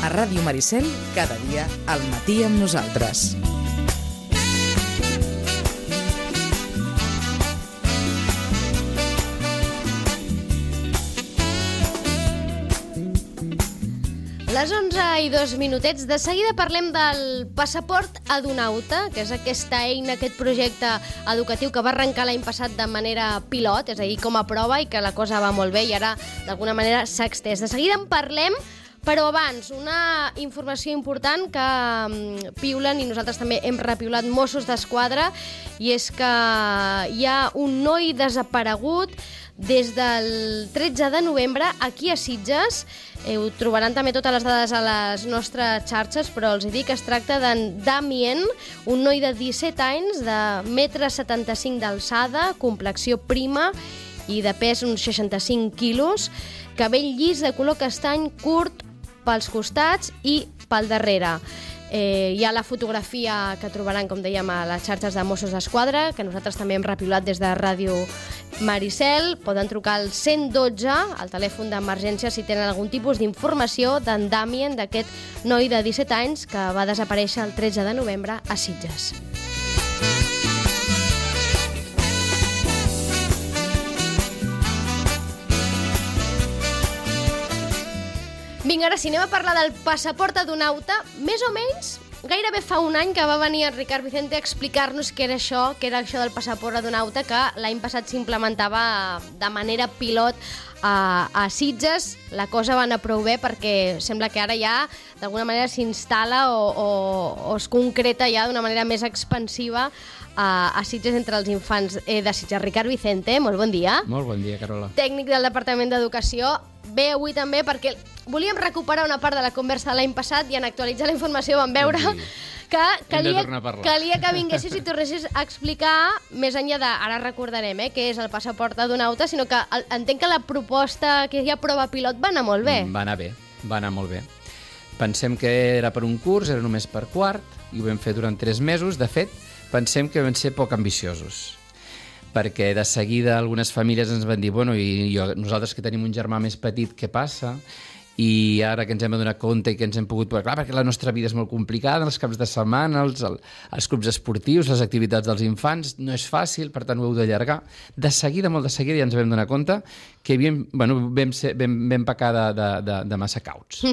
A Ràdio Maricel, cada dia al matí amb nosaltres. Les 11:02. De seguida parlem del passaport Edunauta, que és aquesta eina, aquest projecte educatiu que va arrencar l'any passat de manera pilot, és a dir, com a prova, i que la cosa va molt bé i ara d'alguna manera s'ha extès. De seguida en parlem, però abans, una informació important que piulen, i nosaltres també hem repiulat, Mossos d'Esquadra, i és que hi ha un noi desaparegut des del 13 de novembre aquí a Sitges. Ho trobaran també totes les dades a les nostres xarxes, però els dic que es tracta d'en Damien, un noi de 17 anys, de 1,75 m d'alçada, complexió prima i de pes uns 65 quilos, cabell llis de color castany curt pels costats i pel darrere. Hi ha la fotografia que trobaran, com dèiem, a les xarxes de Mossos d'Esquadra, que nosaltres també hem repiulat des de Ràdio Maricel. Poden trucar al 112, al telèfon d'emergència, si tenen algun tipus d'informació d'en Damien, d'aquest noi de 17 anys que va desaparèixer el 13 de novembre a Sitges. Vinga, ara sí, anem a parlar del passaport Edunauta. Més o menys, gairebé fa un any que va venir el Ricard Vicente a explicar-nos què era això del passaport Edunauta, que l'any passat s'implementava de manera pilot a Sitges. La cosa va anar prou bé perquè sembla que ara ja d'alguna manera s'instal·la o es concreta ja d'una manera més expansiva a Sitges entre els infants de Sitges. Ricard Vicente, molt bon dia. Molt bon dia, Carola. Tècnic del Departament d'Educació. Ve avui també perquè volíem recuperar una part de la conversa de l'any passat i en actualitzar la informació vam veure que calia que vinguessis i tornessis a explicar, més enllà de, ara recordarem, què és el passaport Edunauta, sinó que entenc que la proposta, que hi ha prova pilot, va anar molt bé. Va anar molt bé. Pensem que era per un curs, era només per quart, i ho vam fer durant 3 mesos. De fet, pensem que vam ser poc ambiciosos, perquè de seguida algunes famílies ens van dir nosaltres que tenim un germà més petit, què passa? I ara que ens hem adonat compte i que ens hem pogut... Clar, perquè la nostra vida és molt complicada, els caps de setmana, els clubs esportius, les activitats dels infants, no és fàcil, per tant ho heu d'allargar. De seguida, molt de seguida, ja ens vam donar compte que vam pecar de massa cauts.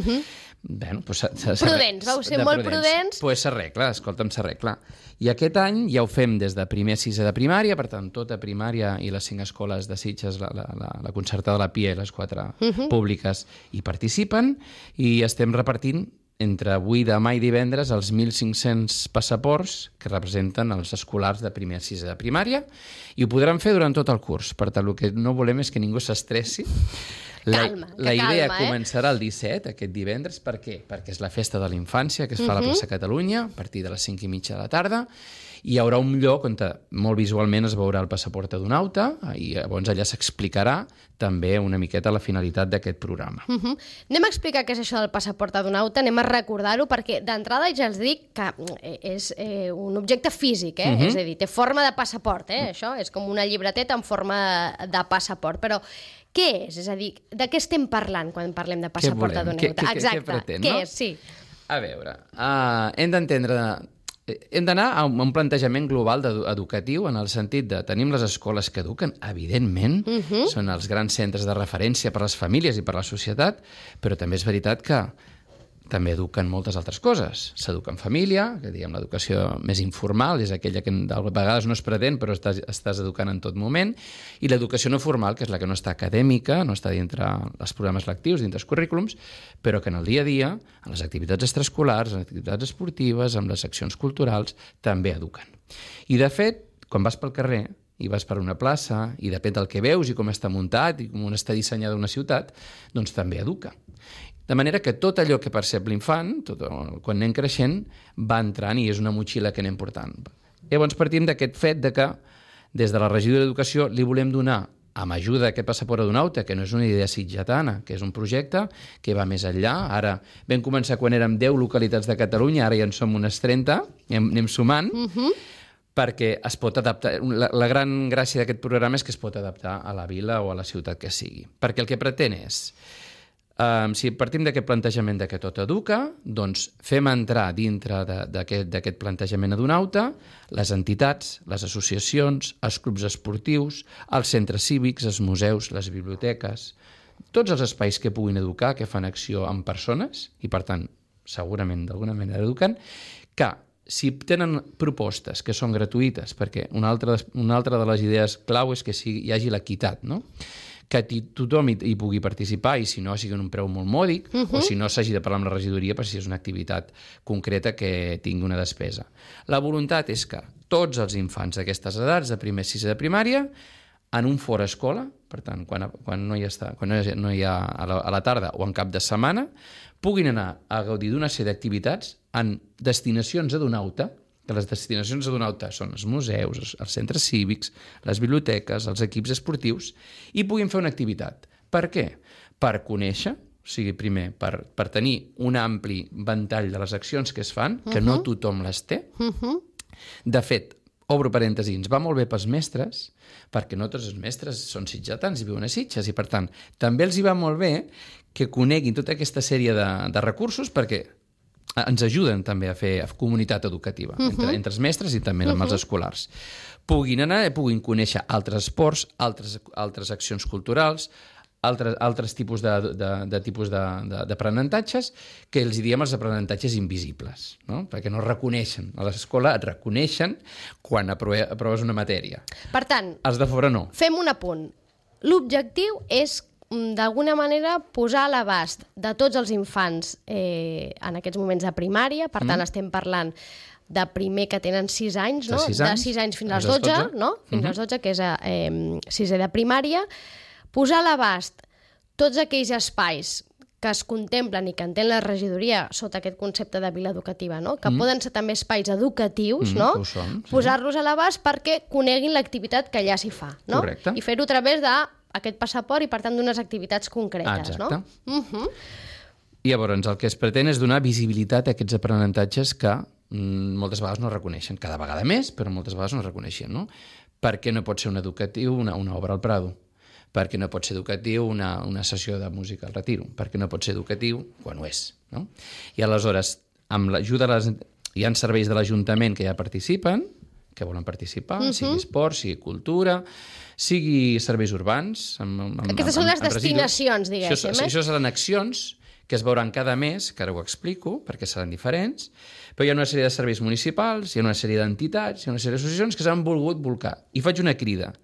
Prudents, vau ser molt prudents. Doncs s'arregla, s'arregla. I aquest any ja ho fem des de primer a sisè de primària, per tant, tota primària i les 5 escoles de Sitges, la concertada, la PIA i les 4 públiques hi participen, i estem repartint entre avui, demà i divendres els 1.500 passaports que representen els escolars de primer a sisè de primària, i ho podran fer durant tot el curs. Per tant, el que no volem és que ningú s'estressi. La idea començarà el 17, aquest divendres. Per què? Perquè és la festa de la infància que es fa a la plaça Catalunya a partir de les 5:30 de la tarda, i hi haurà un lloc on molt visualment es veurà el passaport Edunauta, i llavors allà s'explicarà també una miqueta la finalitat d'aquest programa. Anem a explicar què és això del passaport Edunauta, anem a recordar-ho, perquè d'entrada ja els dic que és un objecte físic, és a dir, té forma de passaport, això és com una llibreteta en forma de passaport, però què és? És a dir, de què estem parlant quan parlem de passaport Edunauta? Exacte, què pretén, no? Què és? Sí. A veure, hem d'anar a un plantejament global educatiu, en el sentit de tenim les escoles que eduquen, evidentment, són els grans centres de referència per a les famílies i per a la societat, però també és veritat que també eduquen moltes altres coses. S'educa en família, que diguem l'educació més informal, és aquella que de vegades no es pretén, però estàs educant en tot moment, i l'educació no formal, que és la que no està acadèmica, no està dintre els programes lectius, dintre els currículums, però que en el dia a dia, en les activitats extraescolars, en les activitats esportives, en les seccions culturals, també eduquen. I de fet, quan vas pel carrer i vas per una plaça, i depèn del que veus i com està muntat i com està dissenyada una ciutat, doncs també educa. De manera que tot allò que percep l'infant, quan anem creixent, va entrant i és una motxilla que anem portant. Llavors partim d'aquest fet que des de la regidoria d'Educació li volem donar, amb ajuda d'aquest passaport Edunauta, que no és una idea sitgetana, que és un projecte que va més enllà. Ara vam començar quan érem 10 localitats de Catalunya, ara ja en som unes 30, anem sumant, perquè es pot adaptar. La gran gràcia d'aquest programa és que es pot adaptar a la vila o a la ciutat que sigui. Perquè el que pretén és Si partim d'aquest plantejament de que tot educa, doncs fem entrar dintre d'aquest plantejament adonauta les entitats, les associacions, els clubs esportius, els centres cívics, els museus, les biblioteques, tots els espais que puguin educar, que fan acció amb persones i, per tant, segurament d'alguna manera eduquen, que si tenen propostes que són gratuïtes, perquè una altra de les idees clau és que hi hagi l'equitat, no? Que tothom hi pugui participar i si no sigui un preu molt mòdic o si no s'hagi de parlar amb la regidoria per si és una activitat concreta que tingui una despesa. La voluntat és que tots els infants d'aquestes edats, de primer a sisè de primària, en un fora escola, per tant, quan no hi ha a la tarda o en cap de setmana, puguin anar a gaudir d'una sèrie d'activitats en destinacions adonauta, que les destinacions adonauta són els museus, els centres cívics, les biblioteques, els equips esportius, i puguin fer una activitat. Per què? Per conèixer, o sigui, primer, per tenir un ampli ventall de les accions que es fan, que no tothom les té. De fet, obro parèntesi, ens va molt bé pels mestres, perquè no tots els mestres són sitgetans i viuen a Sitges, i per tant, també els hi va molt bé que coneguin tota aquesta sèrie de recursos perquè ens ajuden també a fer comunitat educativa entre els mestres i també amb els escolars. Puguin anar, puguin conèixer altres esports, altres accions culturals, altres tipus d'aprenentatges que els diem els aprenentatges invisibles, no? Perquè no reconeixen. A l'escola et reconeixen quan aproves una matèria. Per tant, els de fora no. Fem un apunt. L'objectiu és d'alguna manera posar a l'abast de tots els infants en aquests moments de primària, per tant estem parlant de primer que tenen 6 anys, no? De 6 anys fins als 12, no? Fins als 12, que és sisè de primària, posar a l'abast tots aquells espais que es contemplen i que entén la regidoria sota aquest concepte de vila educativa, no? Que poden ser també espais educatius, no? Posar-los a l'abast perquè coneguin l'activitat que allà s'hi fa, no? Correcte. I fer-ho a través d'aquest passaport i, per tant, d'unes activitats concretes, no? I llavors el que es pretén és donar visibilitat a aquests aprenentatges que moltes vegades no reconeixen, cada vegada més, però moltes vegades no reconeixen, no? Per què no pot ser un educatiu una obra al Prado? Per què no pot ser educatiu una sessió de música al Retiro? Per què no pot ser educatiu quan ho és, no? I aleshores, amb l'ajuda hi ha serveis de l'Ajuntament que ja participen, que volen participar, sigui esport, sigui cultura, sigui serveis urbans... Aquestes són les destinacions, diguéssim. Això seran accions que es veuran cada mes, que ara ho explico, perquè seran diferents, però hi ha una sèrie de serveis municipals, hi ha una sèrie d'entitats, hi ha una sèrie d'associacions que s'han volgut volcar. I faig una crida.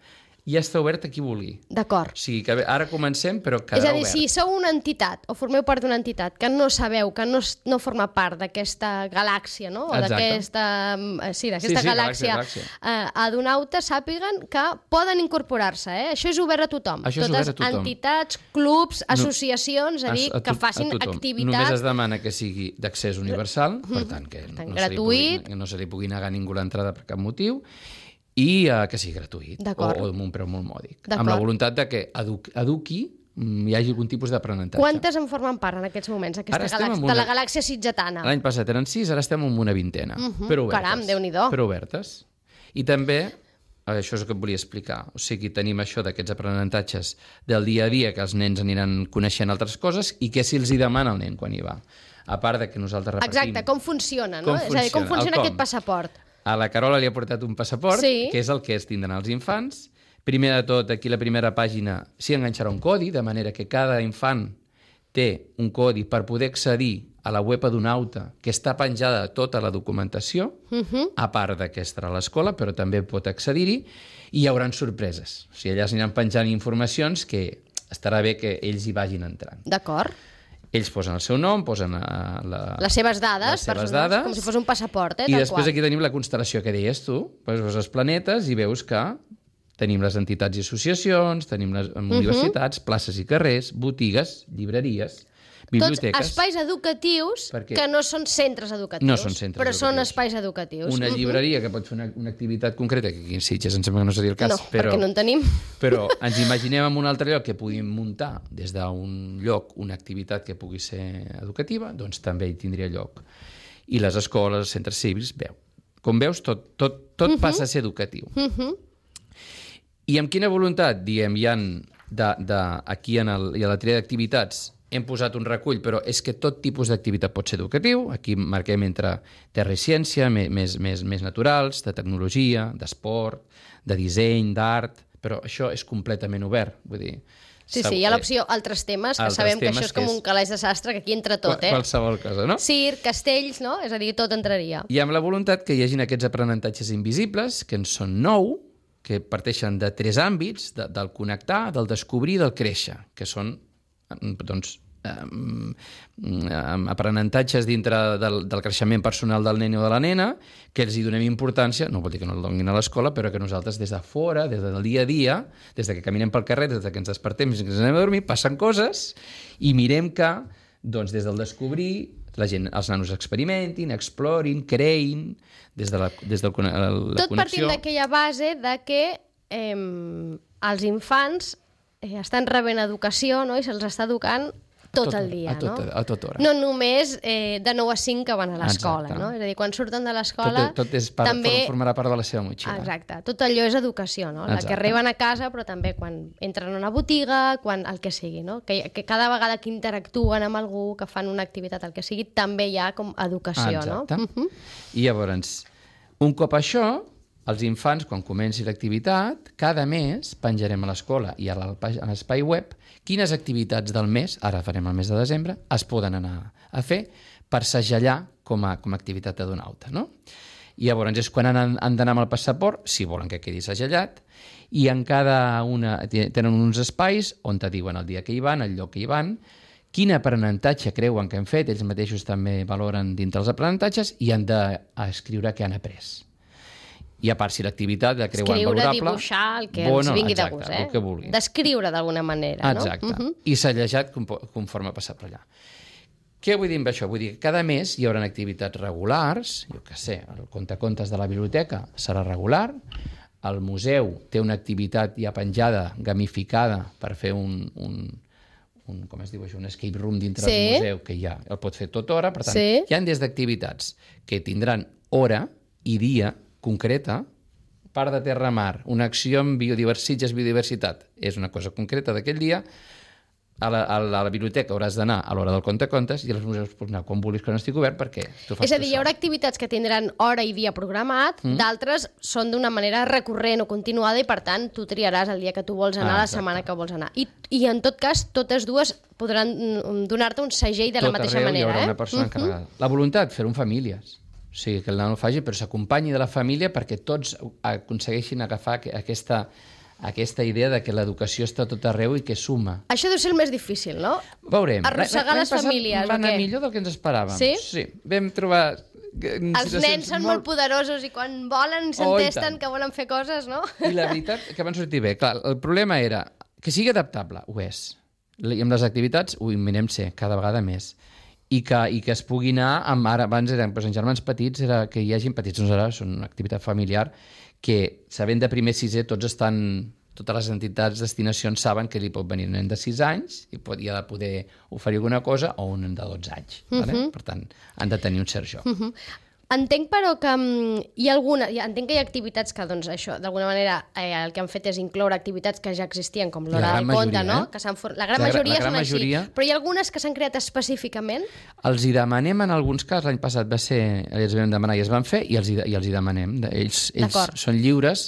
Ja està obert a qui vulgui. D'acord. O sigui que ara comencem, però quedarà obert. És a dir, si sou una entitat o formeu part d'una entitat que no sabeu, que no forma part d'aquesta galàxia, no? O d'aquesta galàxia adonauta, sàpiguen que poden incorporar-se, Això és obert a tothom. Això és obert a tothom. Entitats, clubs, associacions, és a dir, que facin activitats... Només es demana que sigui d'accés universal, per tant, que no se li pugui negar a ningú l'entrada per cap motiu, i que sigui gratuït o amb un preu molt mòdic. Amb la voluntat de que eduqui hi hagi algun tipus d'aprenentatge. Quantes en formen part en aquests moments, de la galàxia sitgetana? L'any passat eren 6, ara estem en una vintena, però obertes. Caram, Déu-n'hi-do. Però obertes. I també, això és el que et volia explicar, o sigui, tenim això d'aquests aprenentatges del dia a dia, que els nens aniran coneixent altres coses i què si els hi demana el nen quan hi va. A part de que nosaltres repartim... Exacte, com funciona, no? És a dir, com funciona aquest passaport. A la Carola li ha portat un passaport, que és el que es tindran els infants. Primer de tot, aquí a la primera pàgina s'hi enganxarà un codi, de manera que cada infant té un codi per poder accedir a la web adonauta, que està penjada tota la documentació, a part que estarà a l'escola, però també pot accedir-hi, i hi haurà sorpreses. O sigui, allà s'aniran penjant informacions que estarà bé que ells hi vagin entrant. D'acord. Ells posen el seu nom, posen les seves dades, com si fos un passaport. I després aquí tenim la constel·lació que deies tu, poses els planetes i veus que tenim les entitats i associacions, tenim les universitats, places i carrers, botigues, llibreries, biblioteques... Tots espais educatius que no són centres educatius, no són centres però educatius. Són espais educatius. Una llibreria que pot fer una activitat concreta, que aquí en Sitges em sembla que no seria el cas. No, perquè no en tenim. Però ens imaginem en un altre lloc que puguin muntar des d'un lloc una activitat que pugui ser educativa, doncs també hi tindria lloc. I les escoles, els centres cívics, com veus, tot passa a ser educatiu. I amb quina voluntat, diem, hi ha aquí a la tria d'activitats hem posat un recull, però és que tot tipus d'activitat pot ser educatiu. Aquí marquem entre terra i ciència, més naturals, de tecnologia, d'esport, de disseny, d'art, però això és completament obert. Vull dir, Sí, hi ha l'opció altres temes, que sabem que això és com un calaix de sastre, que aquí entra tot, Qualsevol cosa, no? Circ, castells, no? És a dir, tot entraria. I amb la voluntat que hi hagin aquests aprenentatges invisibles, que en són 9, que parteixen de 3 àmbits, del connectar, del descobrir i del créixer, que són, doncs, aprenentatges dintre del creixement personal del nen o de la nena, que els hi donem importància, no vol dir que no el donin a l'escola, però que nosaltres des de fora, des del dia a dia, des que caminem pel carrer, des que ens despertem, fins que ens anem a dormir, passen coses i mirem que, doncs, des del descobrir, els nanos experimentin, explorin, creïn, des de la connexió. Tot partint d'aquella base de que els infants estan rebent educació, no? I se'ls està educant tot el dia, no? A tota hora. No només de 9 a 5 que van a l'escola, no? És a dir, quan surten de l'escola... Tot formarà part de la seva motxilla. Exacte. Tot allò és educació, no? La que arriben a casa, però també quan entren a una botiga, quan el que sigui, no? Que cada vegada que interactuen amb algú, que fan una activitat, el que sigui, també hi ha com educació, no? Exacte. I llavors, un cop això, els infants, quan comenci l'activitat, cada mes penjarem a l'escola i a l'espai web quines activitats del mes, ara farem el mes de desembre, es poden anar a fer per segellar com a activitat d'adonauta, no? I llavors és quan han d'anar amb el passaport, si volen que quedi segellat, i en cada una tenen uns espais on te diuen el dia que hi van, el lloc que hi van, quin aprenentatge creuen que han fet, ells mateixos també valoren dintre els aprenentatges i han d'escriure què han après. I a part, si l'activitat la creuen valorable... Escriure, dibuixar, el que els vingui de gust, el que vulguin. Descriure d'alguna manera, no? Exacte. I sellejat conforme ha passat per allà. Què vull dir amb això? Vull dir que cada mes hi haurà activitats regulars, jo què sé, el contacontes de la biblioteca serà regular, el museu té una activitat ja penjada, gamificada, per fer com es diu això, un escape room dintre del museu, que ja el pot fer tota hora, per tant, hi ha des d'activitats que tindran hora i dia concreta, part de terra-mar, una acció amb biodiversitat, és una cosa concreta d'aquell dia, a la biblioteca hauràs d'anar a l'hora del contacontes i als museus pots anar quan vulguis que no estigui obert perquè tu fas. És a dir, hi haurà activitats que tindran hora i dia programat, d'altres són d'una manera recurrent o continuada i per tant tu triaràs el dia que tu vols anar, la setmana que vols anar. I en tot cas, totes dues podran donar-te un segell de la mateixa manera. Tot arreu hi haurà una persona encarregada. La voluntat, fer-ho en famílies. O sigui, que el nano faci, però s'acompanyi de la família perquè tots aconsegueixin agafar aquesta idea de que l'educació està tot arreu i que suma. Això deu ser el més difícil, no? Veurem. Arrossegar les famílies, va anar millor del que ens esperàvem. Sí? Sí. Vam trobar... Els nens són molt poderosos i quan volen s'entesten que volen fer coses, no? I la veritat que van sortir bé. Clar, el problema era que sigui adaptable, ho és. I amb les activitats ho mirem ser cada vegada més. I que es pugui anar abans eren en germans petits, era que hi hagin petits, doncs ara són una activitat familiar que, sabent de primer sisè, totes les entitats, destinacions saben que li pot venir un nen de 6 anys i ha de poder oferir alguna cosa o un nen de 12 anys. Per tant, han de tenir un cert joc. Entenc, però, que entenc que hi ha activitats que, doncs, això, d'alguna manera, el que han fet és incloure activitats que ja existien, com l'hora del conte, no? La gran majoria són així. Però hi ha algunes que s'han creat específicament? Els hi demanem en alguns casos, l'any passat els vam demanar i es van fer, i els hi demanem. Ells són lliures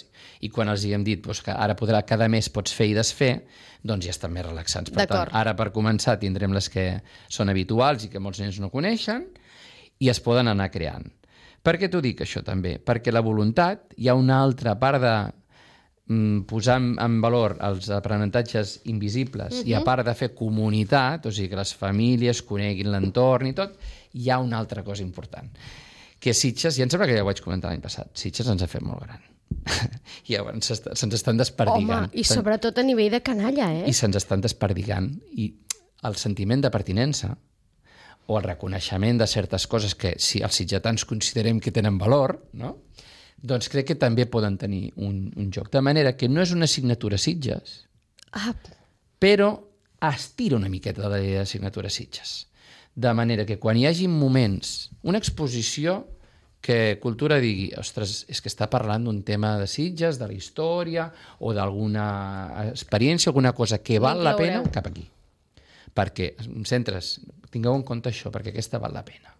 i quan els hi hem dit que ara cada mes pots fer i desfer, doncs ja estan més relaxants. Per tant, ara per començar tindrem les que són habituals i que molts nens no coneixen i es poden anar creant. Per què t'ho dic, això, també? Perquè la voluntat, hi ha una altra part de posar en valor els aprenentatges invisibles i a part de fer comunitat, o sigui, que les famílies coneguin l'entorn i tot, hi ha una altra cosa important. Que Sitges, ja em sembla que ja ho vaig comentar l'any passat, Sitges ens ha fet molt gran. I llavors se'ns estan desperdigant. Home, i sobretot a nivell de canalla, I se'ns estan desperdigant. I el sentiment de pertinença o el reconeixement de certes coses que si els sitgetans considerem que tenen valor, no? Doncs crec que també poden tenir un joc. De manera que no és una assignatura Sitges, però estira una miqueta de la idea d'assignatura Sitges. De manera que quan hi hagi moments, una exposició que Cultura digui, ostres, és que està parlant d'un tema de Sitges, de la història o d'alguna experiència, alguna cosa que val la pena, cap aquí. perquè centres, tingueu en compte això, perquè aquesta val la pena.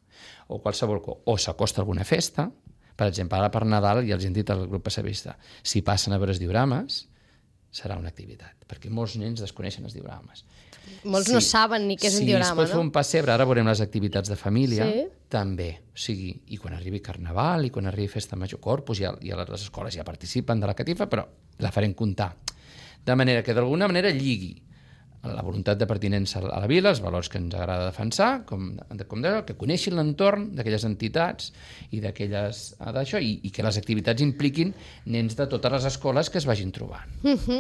O qualsevol o s'acosta alguna festa, per exemple, ara per Nadal, ja els hem dit al grup passavista, si passen a veure els diorames, serà una activitat, perquè molts nens desconeixen els diorames. Molts no saben ni què és un diorama, Si es pot fer un pessebre, ara veurem les activitats de família, també. O sigui, i quan arribi Carnaval, i quan arribi Festa Major Corpus, ja les escoles ja participen de la catifa, però la farem comptar. De manera que d'alguna manera lligui la voluntat de pertinença a la vila, els valors que ens agrada defensar, com deia, que coneixin l'entorn d'aquelles entitats i d'aquelles d'això, i que les activitats impliquin nens de totes les escoles que es vagin trobant.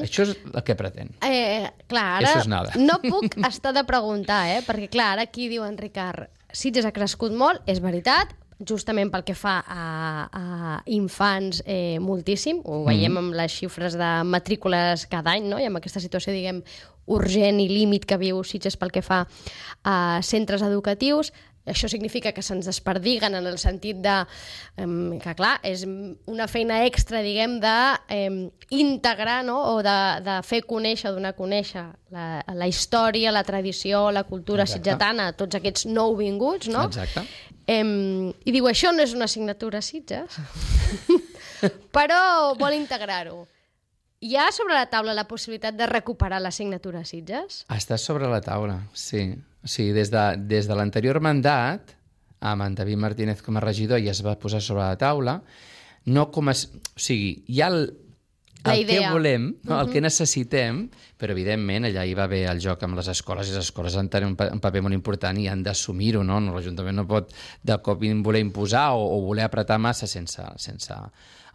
Això és el que pretén. Clar, ara no puc estar de preguntar, perquè clar, ara aquí diu en Ricard, Sitges ha crescut molt, és veritat, justament pel que fa a infants moltíssim, ho veiem amb les xifres de matrícules cada any, no? I amb aquesta situació, diguem, urgent i límit que viu Sitges pel que fa a centres educatius. Això significa que se'ns desperdiguen en el sentit de que, clar, és una feina extra, diguem, d'integrar, no? O de fer conèixer, donar a conèixer la història, la tradició, la cultura sitgetana a tots aquests nouvinguts, no? Exacte. I diu, això no és una assignatura a Sitges, però vol integrar-ho. Hi ha sobre la taula la possibilitat de recuperar l'assignatura a Sitges? Està sobre la taula, sí. O sigui, des de l'anterior mandat, amb en David Martínez com a regidor, ja es va posar sobre la taula, no com a... O sigui, hi ha el que volem, no? El que necessitem, però evidentment allà hi va haver el joc amb les escoles, i les escoles han de tenir un paper molt important i han d'assumir-ho, no? L'Ajuntament no pot de cop voler imposar o voler apretar massa sense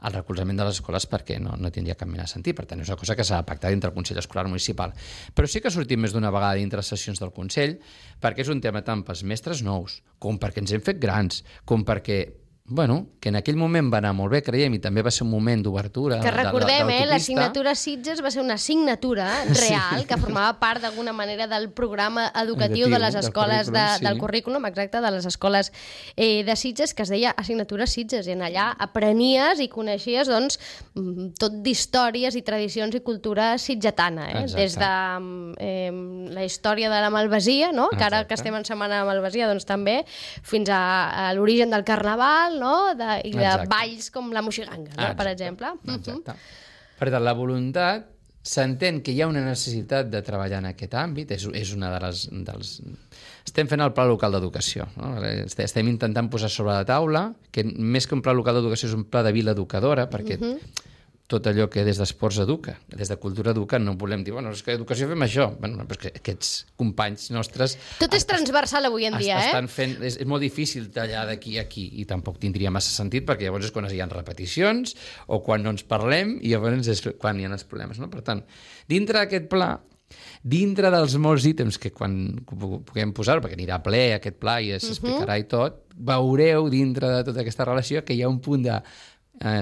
el recolzament de les escoles, perquè no tindria cap mena de sentit. Per tant, és una cosa que s'ha de pactar dintre el Consell Escolar Municipal. Però sí que ha sortit més d'una vegada dintre les sessions del Consell, perquè és un tema tant pels mestres nous, com perquè ens hem fet grans, com perquè que en aquell moment va anar molt bé, creiem, i també va ser un moment d'obertura. Que recordem, l'assignatura Sitges va ser una assignatura real que formava part d'alguna manera del programa educatiu de les escoles del currículum, exacte, de les escoles de Sitges, que es deia assignatura Sitges, i en allà aprenies i coneixies tot d'històries i tradicions i cultura sitgetana, des de la història de la Malvasia, que ara que estem en Setmana de Malvasia, doncs també, fins a l'origen del Carnaval, i de balls com la Moixiganga, per exemple. Exacte. Per tant, la voluntat, s'entén que hi ha una necessitat de treballar en aquest àmbit, és una dels... Estem fent el Pla Local d'Educació, no? Estem intentant posar sobre la taula, que més que un Pla Local d'Educació és un pla de vila educadora, perquè tot allò que des d'esports educa, des de cultura educa, no volem dir, és que educació fem això. Però és que aquests companys nostres... Tot és transversal avui en dia, estan fent... És molt difícil tallar d'aquí a aquí, i tampoc tindria massa sentit, perquè llavors és quan hi ha repeticions, o quan no ens parlem, i llavors és quan hi ha els problemes, no? Per tant, dintre d'aquest pla, dintre dels molts ítems que quan puguem posar, perquè anirà ple aquest pla i s'explicarà i tot, veureu dintre de tota aquesta relació que hi ha un punt de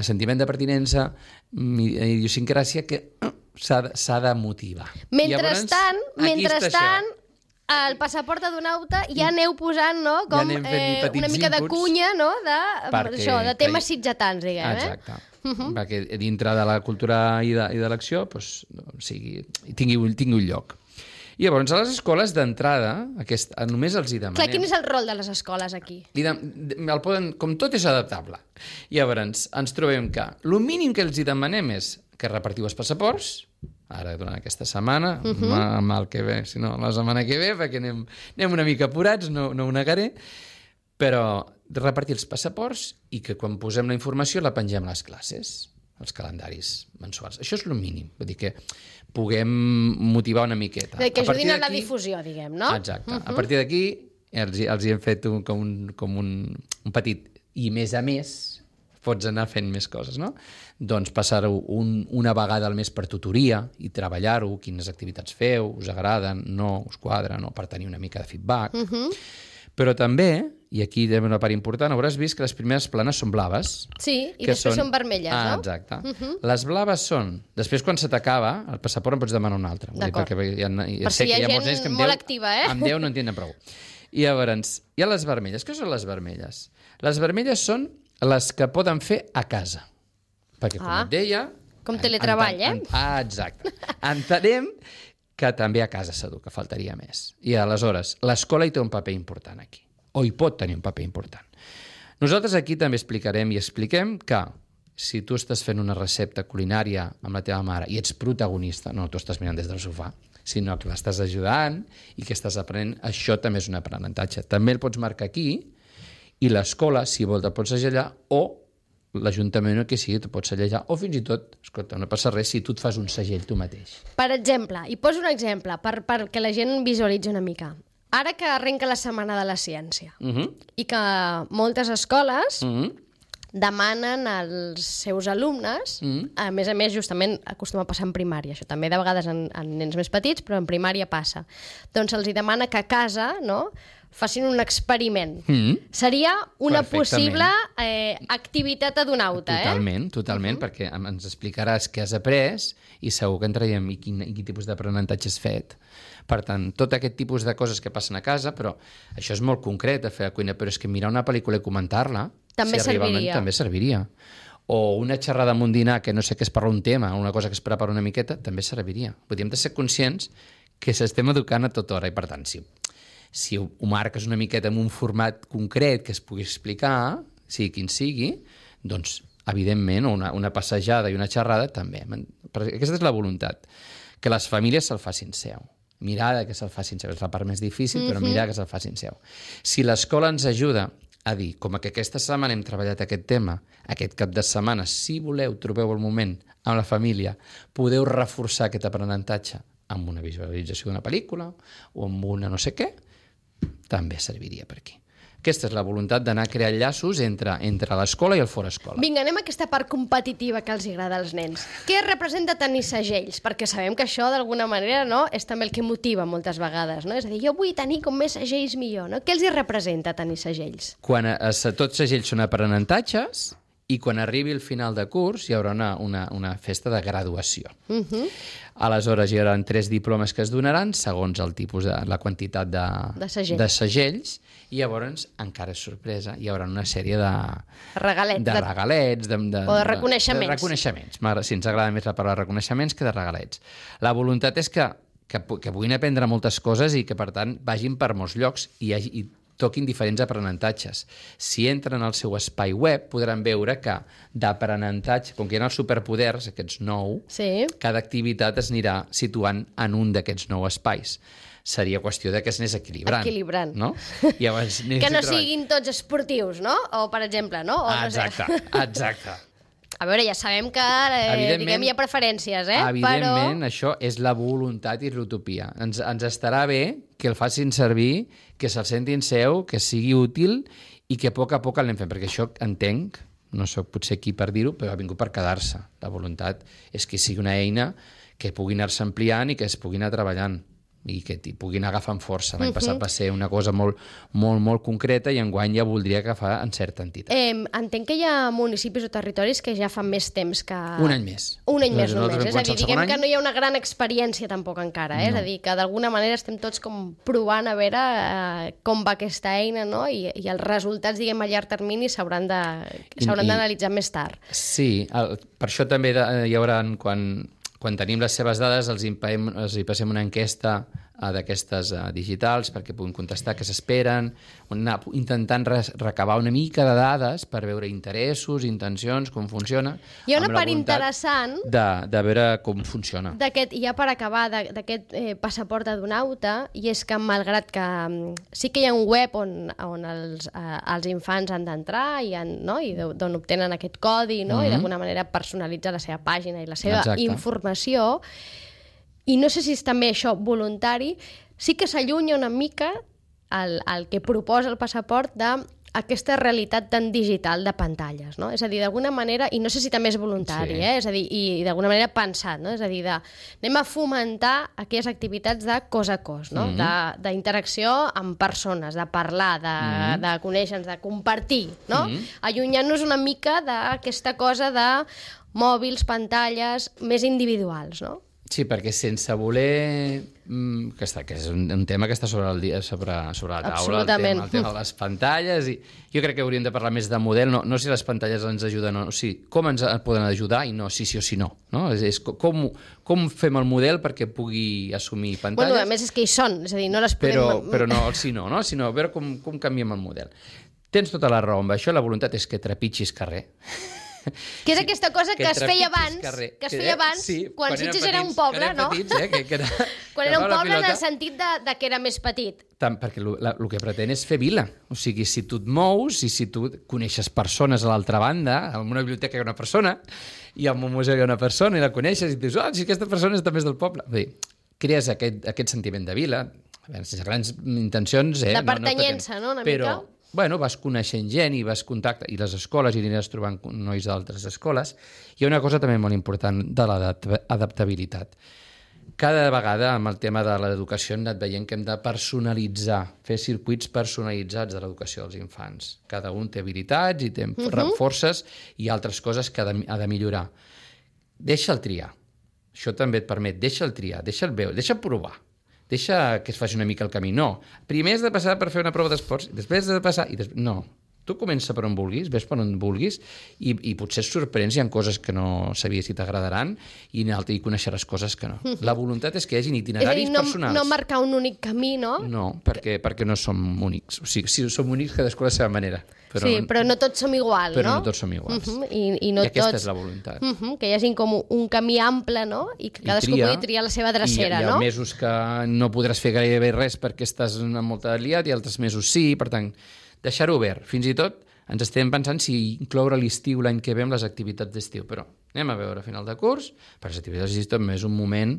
sentiment de pertinença i idiosincràsia que s'ha de motivar. Mentrestant, el passaport adonauta ja aneu posant com una mica de cunya de temes sitgetans, diguem. Exacte. Perquè dintre de la cultura i de l'acció tingui un lloc. I llavors, a les escoles d'entrada, només els hi demanem... Clar, quin és el rol de les escoles aquí? Com tot és adaptable. I llavors, ens trobem que el mínim que els hi demanem és que repartiu els passaports, ara durant aquesta setmana, mal que ve, si no, la setmana que ve, perquè anem una mica apurats, no ho negaré, però repartir els passaports i que quan posem la informació la pengem a les classes, els calendaris mensuals. Això és el mínim, vull dir que puguem motivar una miqueta. Que ajudin a la difusió, diguem, no? Exacte. A partir d'aquí els hi hem fet com un petit... I més a més, pots anar fent més coses, no? Doncs passar-ho una vegada al mes per tutoria i treballar-ho, quines activitats feu, us agraden, no, us quadren, no, per tenir una mica de feedback. Però també, i aquí hi ha una part important, hauràs vist que les primeres planes són blaves. Sí, i després són vermelles, no? Exacte. Les blaves són... Després, quan se t'acaba, el passaport en pots demanar un altre. D'acord. Per si hi ha gent molt activa, Amb 10 no en tenen prou. I llavors, hi ha les vermelles. Què són les vermelles? Les vermelles són les que poden fer a casa. Perquè, com et deia... Com teletreball, exacte. Entenem que també a casa s'educa, faltaria més. I aleshores, l'escola hi té un paper important aquí, o hi pot tenir un paper important. Nosaltres aquí també explicarem i expliquem que si tu estàs fent una recepta culinària amb la teva mare i ets protagonista, no tu estàs mirant des del sofà, sinó que l'estàs ajudant i que estàs aprenent, això també és un aprenentatge. També el pots marcar aquí i l'escola, si vol, te'l pots segellar o l'Ajuntament o qui sigui, te pots segellar o fins i tot, escolta, no passa res si tu et fas un segell tu mateix. Per exemple, i poso un exemple perquè la gent visualitzi una mica. Ara que arrenca la Setmana de la Ciència i que moltes escoles demanen als seus alumnes, a més, justament acostuma a passar en primària, això també de vegades en nens més petits, però en primària passa. Doncs els demana que a casa, no?, facin un experiment. Seria una possible activitat adonauta, Totalment, perquè ens explicaràs què has après i segur que en traiem i quin tipus d'aprenentatge has fet. Per tant, tot aquest tipus de coses que passen a casa, però això és molt concret a fer a cuina, però és que mirar una pel·lícula i comentar-la també serviria. O una xerrada amb un dinar que no sé què es parla un tema, una cosa que es prepara una miqueta, també serviria. Vull dir, hem de ser conscients que s'estem educant a tota hora i, per tant, si ho marques una miqueta en un format concret que es pugui explicar, sigui quin sigui, doncs, evidentment, una passejada i una xerrada també. Aquesta és la voluntat, que les famílies se'l facin seu. Mirar que se'l facin seu. És la part més difícil, però mirar que se'l facin seu. Si l'escola ens ajuda a dir, com que aquesta setmana hem treballat aquest tema, aquest cap de setmana, si voleu, trobeu el moment amb la família, podeu reforçar aquest aprenentatge amb una visualització d'una pel·lícula o amb una no sé què, també serviria per aquí. Aquesta és la voluntat d'anar a crear llaços entre l'escola i el fora escola. Vinga, anem a aquesta part competitiva que els agrada als nens. Què representa tenir segells? Perquè sabem que això, d'alguna manera, no, és també el que motiva moltes vegades. No? És a dir, jo vull tenir com més segells millor. No? Què els hi representa tenir segells? Quan tots segells són aprenentatges i quan arribi el final de curs hi haurà una festa de graduació. Aleshores hi haurà 3 diplomes que es donaran segons el tipus la quantitat de segells i llavors, encara és sorpresa, hi haurà una sèrie de regalets o de reconeixements. De reconeixements. Sí, ens agrada més la paraula reconeixements que de regalets. La voluntat és que puguin aprendre moltes coses i que, per tant, vagin per molts llocs i toquin diferents aprenentatges. Si entren al seu espai web, podran veure que d'aprenentatge, com que hi ha els superpoders, aquests 9, cada activitat es anirà situant en un d'aquests 9 espais. Seria qüestió que es anés equilibrant. No? Que no siguin tots esportius, no? O, per exemple, no? Exacte. A veure, ja sabem que hi ha preferències, Evidentment, això és la voluntat i l'utopia. Ens estarà bé que el facin servir, que se'l sentin seu, que sigui útil i que a poc l'anem fent, perquè això entenc, no sóc potser aquí per dir-ho, però ha vingut per quedar-se. La voluntat és que sigui una eina que pugui anar-se ampliant i que es pugui anar treballant i que puguin agafar força. L'any passat va ser una cosa molt, molt, molt concreta i enguany ja voldria agafar en certa entitat. Entenc que hi ha municipis o territoris que ja fa més temps que... Un any més. Un any més només. És a dir, diguem que no hi ha una gran experiència tampoc encara. És a dir, que d'alguna manera estem tots com provant a veure com va aquesta eina, no? I els resultats, diguem, a llarg termini s'hauran d'analitzar més tard. Sí, per això també hi haurà, quan tenim les seves dades, els hi passem una enquesta d'aquestes digitals perquè puguin contestar què s'esperen, intentant recabar una mica de dades per veure interessos, intencions, com funciona. Hi ha una part interessant de veure com funciona. Ja per acabar, d'aquest passaport adonauta, i és que malgrat que sí que hi ha un web on els infants han d'entrar i d'on obtenen aquest codi i d'alguna manera personalitzar la seva pàgina i la seva informació, i no sé si és també això voluntari, sí que s'allunya una mica el que proposa el passaport d'aquesta realitat tan digital de pantalles, no? És a dir, d'alguna manera, i no sé si també és voluntari, és a dir, i d'alguna manera pensat, no? És a dir, anem a fomentar aquelles activitats de cos a cos, no? D'interacció amb persones, de parlar, de conèixer-nos, de compartir, no? Allunyant-nos una mica d'aquesta cosa de mòbils, pantalles, més individuals, no? Sí, perquè sense voler... que és un tema que està sobre la taula, el tema de les pantalles, i jo crec que hauríem de parlar més de model, no si les pantalles ens ajuden o no, com ens poden ajudar i no si sí o si no. És com fem el model perquè pugui assumir pantalles... Bueno, a més és que hi són, és a dir, no les podem... Però no el si no, sinó a veure com canviem el model. Tens tota la raó amb això, la voluntat és que trepitgis carrer. Que és aquesta cosa que es feia abans, quan Sitges era un poble, no? Quan era un poble en el sentit que era més petit. Perquè el que pretén és fer vila. O sigui, si tu et mous i si tu coneixes persones a l'altra banda, en una biblioteca hi ha una persona, i en un museu hi ha una persona, i la coneixes, i dius, si aquesta persona és també del poble. Vull dir, crees aquest sentiment de vila, sense grans intencions... De pertanyença, no? Una mica. Bueno, vas coneixent gent i vas contactar, i les escoles, i aniràs trobant nois d'altres escoles. Hi ha una cosa també molt important de l'adaptabilitat. Cada vegada, amb el tema de l'educació, hem anat veient que hem de personalitzar, fer circuits personalitzats de l'educació dels infants. Cada un té habilitats i té forces i altres coses que ha de millorar. Deixa'l triar. Això també et permet, deixa'l triar, deixa'l veure, deixa'l provar. Deixa que es faci una mica el camí. No, primer has de passar per fer una prova d'esports, després has de passar... No, tu comença per on vulguis, ves per on vulguis, i potser et sorprens, hi ha coses que no sabies si t'agradaran, i coneixeràs coses que no. La voluntat és que hi hagi itineraris personals. No marcar un únic camí, no? No, perquè no som únics. O sigui, si som únics, cadascú a la seva manera. Però no tots som iguals, no? Però no tots som iguals. I aquesta és la voluntat. Que hi hagi com un camí ample, no? I que cadascú pugui triar la seva drecera, no? Hi ha mesos que no podràs fer gairebé res perquè estàs molt liat, i altres mesos sí, per tant, deixar-ho obert. Fins i tot ens estem pensant si incloure l'estiu l'any que ve amb les activitats d'estiu, però anem a veure a final de curs, perquè les activitats d'estiu també és un moment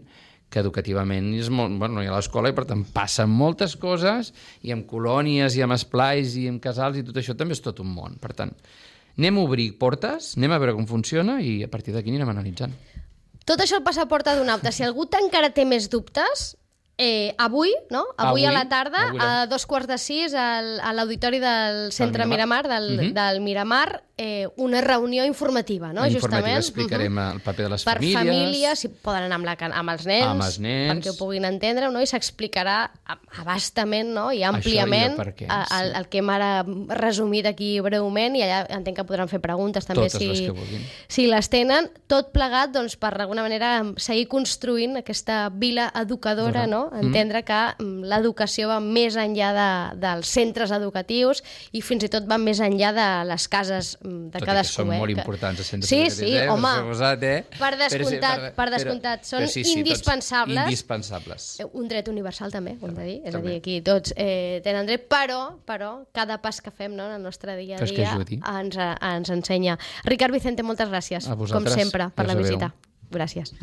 que educativament és molt... Bueno, no hi ha l'escola i per tant passen moltes coses, i amb colònies, i amb esplais, i amb casals, i tot això també és tot un món. Per tant, anem a obrir portes, anem a veure com funciona i a partir d'aquí anirem analitzant. Tot això el passaport adonauta. Si algú encara té més dubtes... Avui a la tarda, a 5:45, a l'auditori del Centre Miramar, del Miramar, una reunió informativa, no? Informativa, explicarem el paper de les famílies. Per famílies, si poden anar amb els nens, perquè ho puguin entendre, no? I s'explicarà abastament, no? I àmpliament el que hem ara resumit aquí breument, i allà entenc que podran fer preguntes també si les tenen, tot plegat doncs, per d'alguna manera seguir construint aquesta vila educadora, no? Entendre que l'educació va més enllà dels centres educatius i fins i tot va més enllà de les cases de cadascú. Són molt importants els centres educatius. Sí, home, per descomptat, són indispensables. Un dret universal també, ho hem de dir. És a dir, aquí tots tenen dret, però cada pas que fem en el nostre dia a dia ens ensenya. Ricard Vicente, moltes gràcies, com sempre, per la visita. Gràcies.